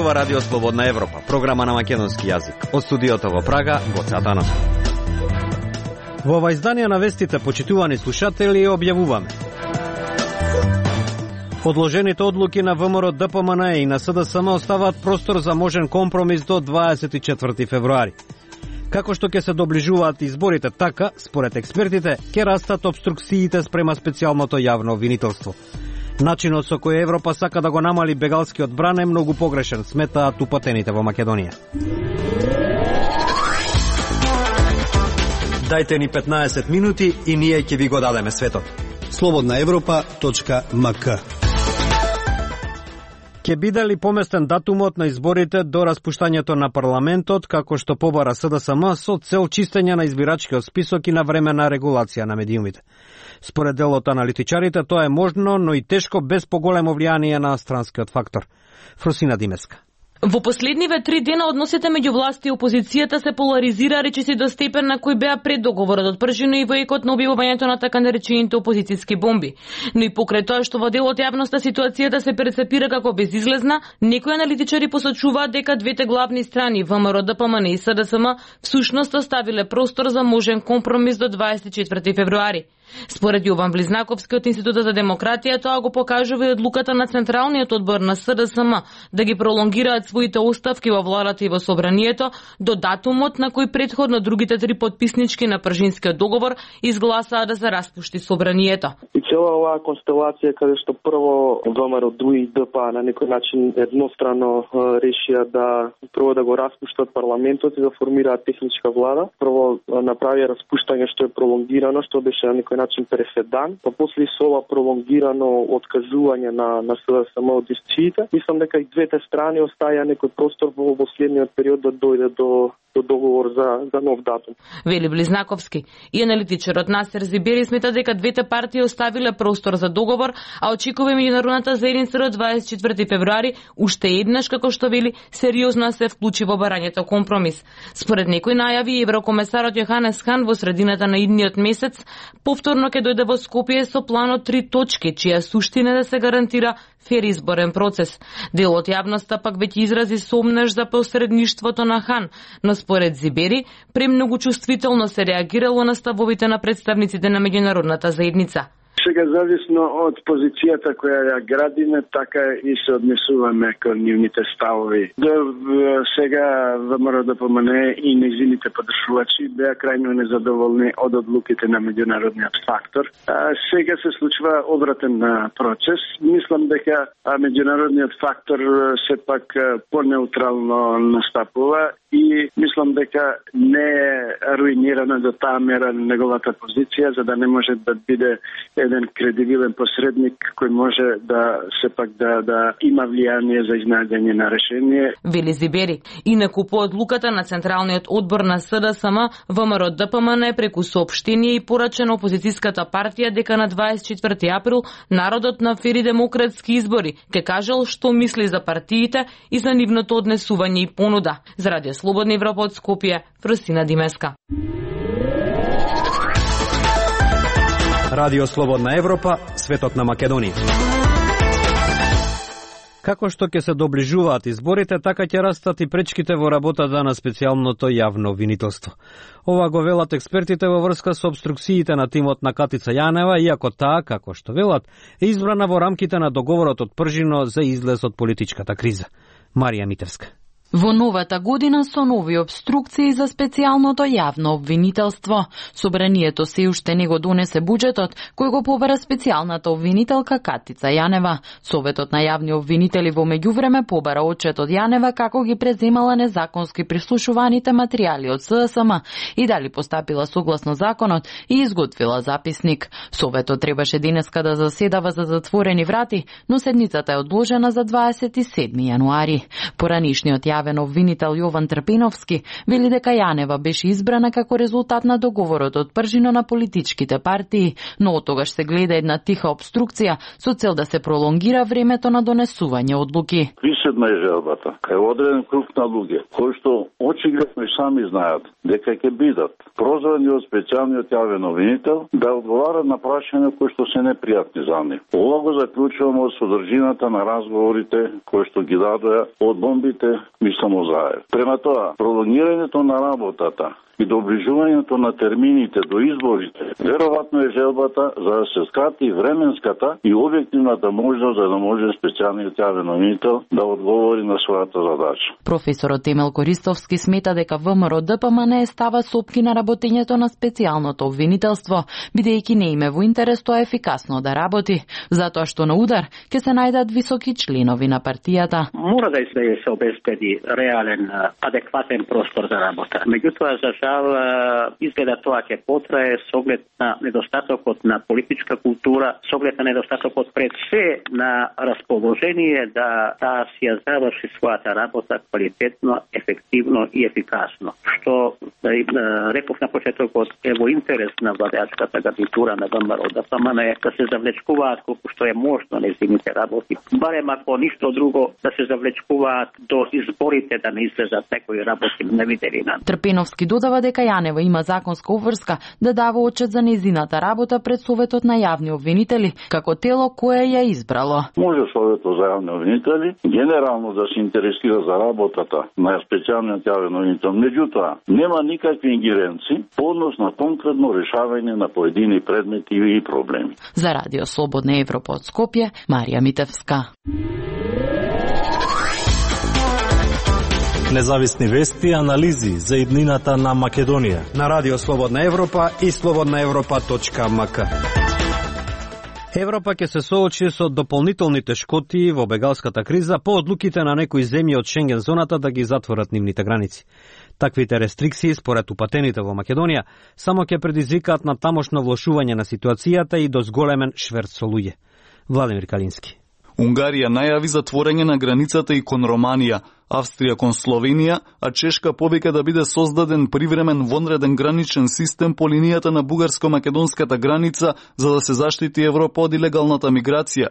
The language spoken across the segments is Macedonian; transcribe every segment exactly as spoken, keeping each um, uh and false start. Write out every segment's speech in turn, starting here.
зборува Радио Слободна Европа, програма на македонски јазик. Од студиото во Прага, Гоце Атанасов. Во ова издание на вестите, почитувани слушатели, објавуваме: одложените одлуки на ВМРО Д П М Н и на С Д С М оставаат простор за можен компромис до дваесет и четврти февруари. Како што ќе се доближуваат изборите, така, според експертите, ќе растат обструкциите спрема специјалното јавно обвинителство. Начинот со кој Европа сака да го намали бегалскиот бран е многу погрешен, сметаат упатените во Македонија. Дајте ни петнаесет минути и ние ќе ви го дадеме светот. слободна европа точка м к. Ќе биде ли поместен датумот на изборите до распуштањето на парламентот, како што побара С Д С М со цел чистење на избирачкиот список и на времена регулација на медиумите? Според дел од аналитичарите, тоа е можно, но и тешко без поголемо влијание на странскиот фактор. Фросина Димеска. Во последниве три дена односите меѓу власт и опозицијата се поларизира речиси до степен на кој беа пред договорот од пржино и во екот на објавувањето на така наречените опозицијски бомби. Но и покрај тоа што во дел од јавноста ситуацијата се перцепира како безизлезна, некои аналитичари посочуваат дека двете главни страни, ВМРО Д П М Н и С Д С М, всушност оставиле простор за можен компромис до дваесет и четврти февруари. Според Јован Близнаковски од Институтот за демократија, тоа го покажува и одлуката на Централниот одбор на С Д С М да ги пролонгираат своите оставки во владата и во собранието до датумот на кој предходно другите три потписнички на пржинскиот договор изгласаа да се распушти собранието. И цела оваа констелација каде што прво ВМРО Д и Д П на некој начин еднострано решија да прво да го распуштат парламентот и да формираат техничка влада. Прво направија распуштање што е пролонгирано, што беше на некој начин преседан, па после со ова пролонгирано откажување на на С Д С М од дисциите. Мислам дека и двете страни оставија некој простор во последниот период да дојде до до договор за за нов датум. Вели Близнаковски. И аналитичарот Насер Зибери смета дека двете партии оставиле простор за договор, а очекува меѓународната заедница до дваесет и четврти февруари уште еднаш, како што вели, сериозно се вклучи во барањето компромис. Според некои најави, еврокомесарот Јоханес Хан во средината на идниот месец повторно ќе дојде во Скопје со планот три точки, чија суштина да се гарантира фер изборен процес. Дел од јавноста пак веќе изрази сомнеж за посредништвото на Хан, но според Зибери, премногу чувствително се реагирало на ставовите на представниците на меѓународната заедница. Сега, зависно од позицијата која ја градиме, така и се однесуваме кон нивните ставови. До сега ВМРО Д П М Н и нејзините подржувачи беа крајно незадоволни од одлуките на меѓународниот фактор. А сега се случува обратен процес. Мислам дека меѓународниот фактор сепак понеутрално настапува и мислам дека не е руинирана до таа мера неговата позиција, за да не може да биде еден кредибилен посредник кој може да сепак да да има влијание за изнаѓање на решение. Вели Зибери. Инаку по одлуката на Централниот одбор на С Д С М, ВМРО Д П М Н преку соопштение и порача на опозицијската партија дека на дваесет и четврти април народот на фери демократски избори ќе кажал што мисли за партиите и за нивното однесување и понуда. За Радио Слободна Европа од Скопје, Фросина Димеска. Радио Слободна Европа, светот на Македонија. Како што ќе се доближуваат изборите, така ќе растат и пречките во работата на специјалното јавно обвинителство. Ова го велат експертите во врска со обструкциите на тимот на Катица Јанева, иако таа, како што велат, е избрана во рамките на договорот од пржино за излез од политичката криза. Марија Митевска. Во новата година со нови обструкции за специјалното јавно обвинителство. Собранието се уште не го донесе буџетот, кој го побара специјалната обвинителка Катица Јанева. Советот на јавни обвинители во меѓувреме побара отчет од Јанева како ги преземала незаконски прислушуваните материјали од С Д С М и дали постапила согласно законот и изготвила записник. Советот требаше денеска да заседава за затворени врати, но седницата е одложена за дваесет и седми јануари. Поранишниот најавен обвинител Јован Трпиновски вели дека Јанева беше избрана како резултат на договорот од пржино на политичките партии, но од тогаш се гледа една тиха обструкција со цел да се пролонгира времето на донесување одлуки. Виседна е желбата, кај одреден круг на луѓе, кои што очигледно и сами знаат дека ќе бидат прозвани од специјалниот јавен обвинител да одговарат на прашања кои што се непријатни за нив. Ова го заклучуваме од содржината на разговорите кои што ги дадоа од бомбите Мислимо Заев. Према тоа, пролонгирањето на работата и доближувањето на термините до изборите, веројатно е желбата за да се скрати временската и објективната можност за да може специјалниот јавен обвинител да одговори на својата задача. Професорот Темел Користовски смета дека ВМРО ДПМН става сопки на работењето на специјалното обвинителство, бидејќи не име во интерес тоа ефикасно да работи, затоа што на удар ќе се најдат високи членови на партијата. Мора да се обезбеди реален, адекватен простор за работа. Меѓутоа, за изгледа тоа ќе потрае со оглед на недостатокот на политичка култура, со оглед на недостатокот пред се на расположение да таа си ја заврши својата работа квалитетно, ефективно и ефикасно. Што да реков на почетокот е во интерес на владеачката гарнитура на ВМРО ДПМН да се завлечкуваат колку што е можно нејзините работи. Барем ако ништо друго да се завлечкуваат до изборите да не излезат некои работи невиделина. Трпиновски додава дека Јанева има законска обврска да дава отчет за нејзината работа пред Советот на јавни обвинители, како тело кое ја избрало. Може Советот за јавни обвинители генерално да се интересира за работата на специјалниот јавен обвинител, меѓутоа нема никакви ингеренции по однос на конкретно решавање на поедини предмети и проблеми. За Радио Слободна Европа од Скопје, Марија Митевска. Независни вести и анализи за иднината на Македонија на Радио Слободна Европа и слободна европа точка м к. Европа ќе се соочи со дополнителни тешкоти во бегалската криза по одлуките на некои земји од Шенген зоната да ги затворат нивните граници. Таквите рестрикции, според упатените во Македонија, само ќе предизвикаат на тамошно влошување на ситуацијата и до зголемен шверц со луѓе. Владимир Калински. Унгарија најави затворање на границата и кон Романија, Австрија кон Словенија, а Чешка повика да биде создаден привремен вонреден граничен систем по линијата на бугарско-македонската граница за да се заштити Европа од илегалната миграција.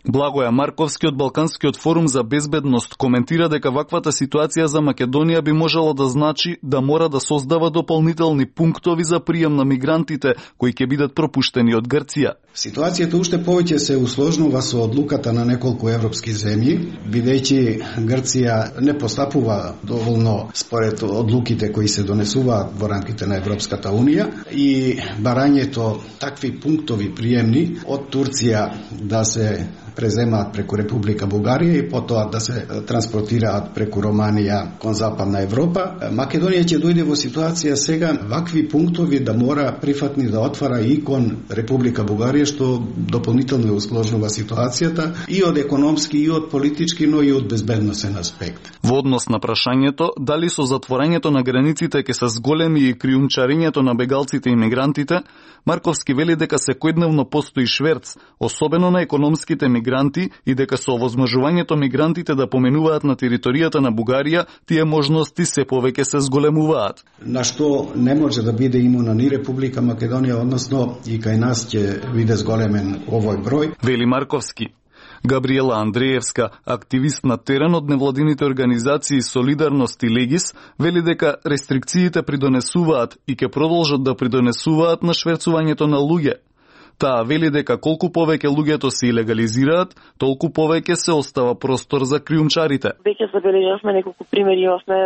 Благоја Марковски од Балканскиот форум за безбедност коментира дека ваквата ситуација за Македонија би можело да значи да мора да создава дополнителни пунктови за прием на мигрантите кои ќе бидат пропуштени од Грција. Ситуацијата уште повеќе се усложнува со одлуката на неколку европски земји, бидејќи Грција не постапува доволно според одлуките кои се донесуваат во рамките на Европската унија и барањето такви пунктови приемни од Турција да се преземаат преку Република Бугарија и потоа да се транспортираат преку Романија кон Западна Европа. Македонија ќе дојде во ситуација сега вакви пунктови да мора прифатни да отвара и кон Република Бугарија, што дополнително усложнува ситуацијата и од економски, и од политички, но и од безбедносен аспект. Во однос на прашањето дали со затворањето на границите ќе се зголеми и криумчарењето на бегалците и мигрантите, Марковски вели дека секојдневно постои шверц, особено на економските мигранти, и дека со овозможувањето мигрантите да поменуваат на територијата на Бугарија, тие можности се повеќе се зголемуваат. На што не може да биде имуна ни Република Македонија, односно и кај нас ќе биде зголемен овој број. Вели Марковски. Габриела Андреевска, активист на терен од невладините организации Солидарност и Легис, вели дека рестрикциите придонесуваат и ќе продолжат да придонесуваат на шверцувањето на луѓе. Таа вели дека колку повеќе луѓето се илегализираат, толку повеќе се остава простор за криумчарите. Веќе забележавме неколку примери имавме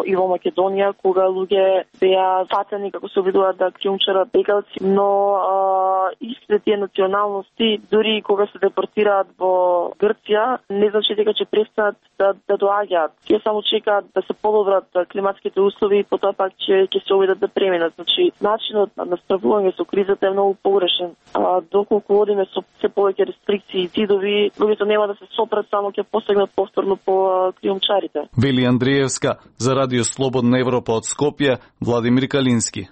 и во Македонија кога луѓе беа фатени како се обидуваат да криумчарат бегалци, но а, истите тие националности дури кога се депортираат во Грција, не значи дека ќе престанат да, да доаѓаат. Тие само чекаат да се подобрат климатските услови и потоа пак ќе ќе се обидат да преминат. Значи начинот на справување со кризата е многу погрешен. А, доколку одиме со се повеќе рестрикции и цидови, луѓето нема да се сопрат, само ќе посегнат повторно по криумчарите. Вели Андреевска, за Радио Слободна Европа од Скопје, Владимир Калински.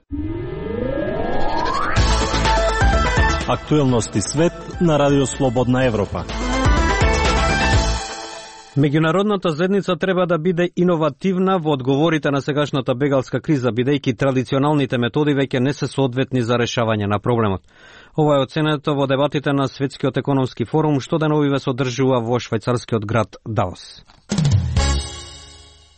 Актуелности свет на Радио Слободна Европа. Меѓународната заедница треба да биде иновативна во одговорите на сегашната бегалска криза, бидејќи традиционалните методи веќе не се соодветни за решавање на проблемот. Ова е оценето во дебатите на Светскиот економски форум, што деновиве се одржува во швајцарскиот град Давос.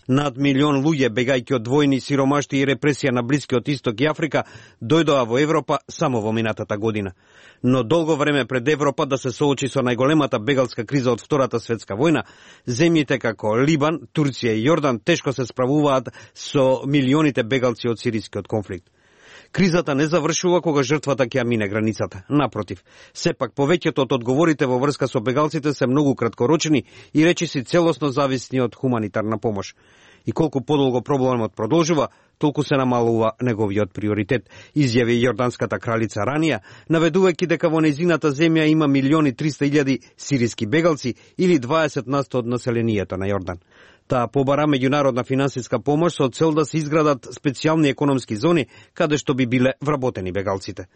Над милион луѓе, бегајќи од војни, сиромашти и репресија на Блискиот Исток и Африка, дојдоа во Европа само во минатата година. Но долго време пред Европа да се соочи со најголемата бегалска криза од Втората светска војна, земјите како Либан, Турција и Јордан тешко се справуваат со милионите бегалци од сирискиот конфликт. Кризата не завршува кога жртвата ќе мине границата. Напротив, сепак повеќето од одговорите во врска со бегалците се многу краткорочни и речиси целосно зависни од хуманитарна помош. И колку подолго проблемот продолжува, толку се намалува неговиот приоритет, изјави јорданската кралица ранија, наведувајќи дека во нејзината земја има милиони триста илјади сириски бегалци или дваесет на сто од населението на Јордан. Таа побара меѓународна финансиска помош со цел да се изградат специјални економски зони каде што би биле вработени бегалците.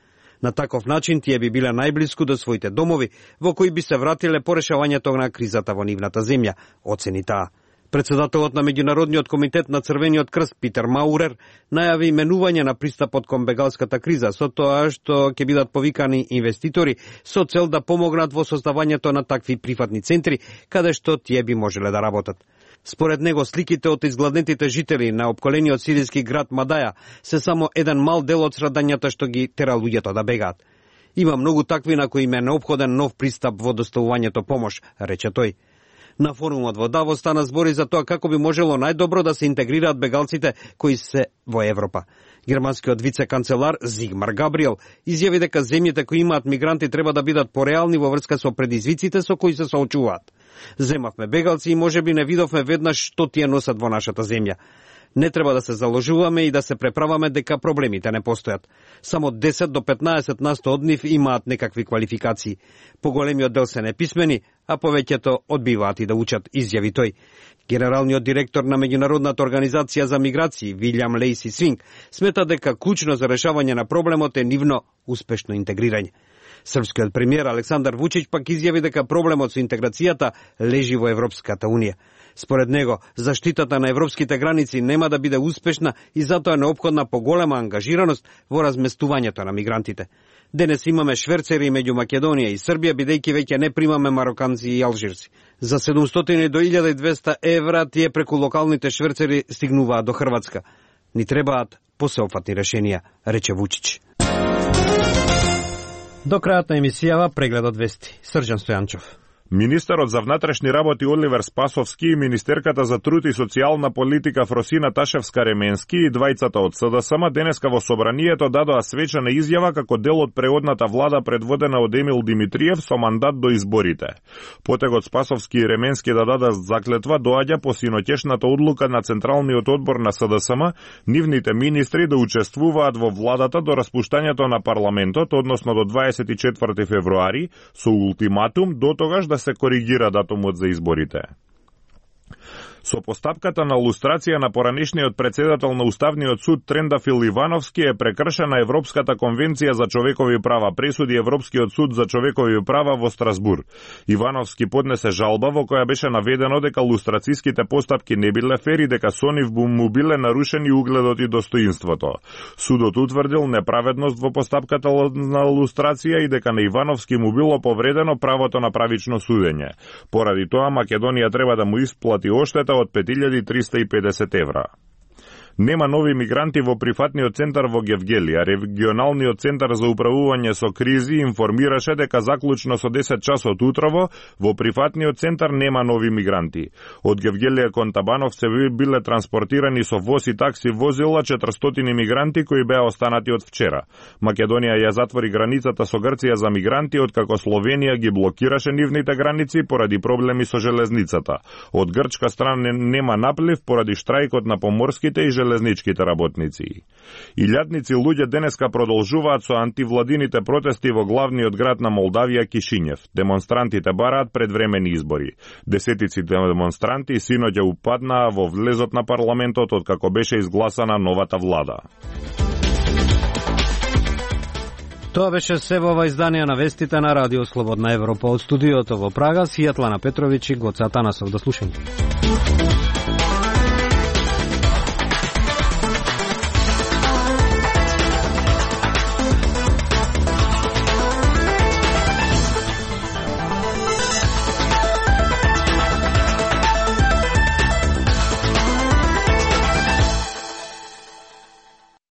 На таков начин тие би биле најблиску до своите домови, во кои би се вратиле по решавањето на кризата во нивната земја, оцени таа. Председателот на Меѓународниот комитет на Црвениот крст Питер Маурер најави менување на пристапот кон бегалската криза со тоа што ќе бидат повикани инвеститори со цел да помогнат во создавањето на такви прифатни центри каде што тие би можеле да работат. Според него, сликите од изгладнетите жители на опколениот сириски град Мадаја се само еден мал дел од страдањата што ги тера луѓето да бегаат. Има многу такви на кои им е неопходен нов пристап во доставувањето помош, рече тој. На форумот во Давос стана збори за тоа како би можело најдобро да се интегрираат бегалците кои се во Европа. Германскиот вице-канцелар Зигмар Габриел изјави дека земјите кои имаат мигранти треба да бидат пореални во врска со предизвиците со кои се соочуваат. Земавме бегалци и можеби не видовме веднаш што тие носат во нашата земја. Не треба да се заложуваме и да се преправаме дека проблемите не постојат. Само десет до петнаесет на сто од нив имаат некакви квалификации. Поголемиот дел се неписмени, а повеќето одбиваат и да учат, изјави тој. Генералниот директор на Меѓународната организација за миграции, Вилјам Лейси Свинг, смета дека клучно за решавање на проблемот е нивно успешно интегрирање. Српскиот премиер Александар Вучич пак изјави дека проблемот со интеграцијата лежи во Европската унија. Според него, заштитата на европските граници нема да биде успешна и затоа е неопходна поголема ангажираност во разместувањето на мигрантите. Денес имаме шверцери меѓу Македонија и Србија, бидејќи веќе не примаме мароканци и алжирци. За седумстотини до илјада и двесте евра тие преку локалните шверцери стигнуваат до Хрватска. Ни требаат посеопфатни решенија, рече Вучич. До крајот на емисијава прегледот вести. Срđan Стојанчов. Министерот за внатрешни работи Оливер Спасовски и Министерката за труд и социјална политика Фросина Ташевска-Ременски и двајцата од СДСМ денеска во собранието дадоа свечена изјава како дел од преодната влада предводена од Емил Димитриев со мандат до изборите. Потегот Спасовски и Ременски да дадат заклетва доаѓа по синоќешната одлука на Централниот одбор на СДСМ, нивните министри да учествуваат во владата до распуштањето на парламентот, односно до дваесет и четврти февруари, со ултиматум до тогаш да се коригира датумот за изборите. Со постапката на лустрација на поранешниот председател на Уставниот суд Трендафил Ивановски е прекршена Европската конвенција за човекови права, пресуди Европскиот суд за човекови права во Страсбур. Ивановски поднесе жалба во која беше наведено дека лустрацијските постапки не биле фер и дека со нив му биле нарушени угледот и достоинството. Судот утврдил неправедност во постапката на лустрација и дека на Ивановски му било повредено правото на правично судење. Поради тоа Македонија треба да му исплати оштета од пет илјади триста и педесет евра. Нема нови мигранти во прифатниот центар во Гевгели, а регионалниот центар за управување со кризи информираше дека заклучно со десет часот утрово во прифатниот центар нема нови мигранти. Од Гевгелија кон Табановце биле транспортирани со воз и такси возила четиристотини мигранти кои беа останати од вчера. Македонија ја затвори границата со Грција за мигранти, откако Словенија ги блокираше нивните граници поради проблеми со железницата. Од грчка страна нема наплив поради штрајкот на поморските и железничките работници. Илјадници луѓе денеска продолжуваат со антивладините протести во главниот град на Молдавија Кишињев. Демонстрантите бараат предвремени избори. Десетици демонстранти синоќа упаднаа во влезот на парламентот откако беше изгласана новата влада. Тоа беше се во ова издание на вестите на Радио Слободна Европа од студиото во Прага, Сјатлана Петровиќ и Гоца Танасов. До слушање.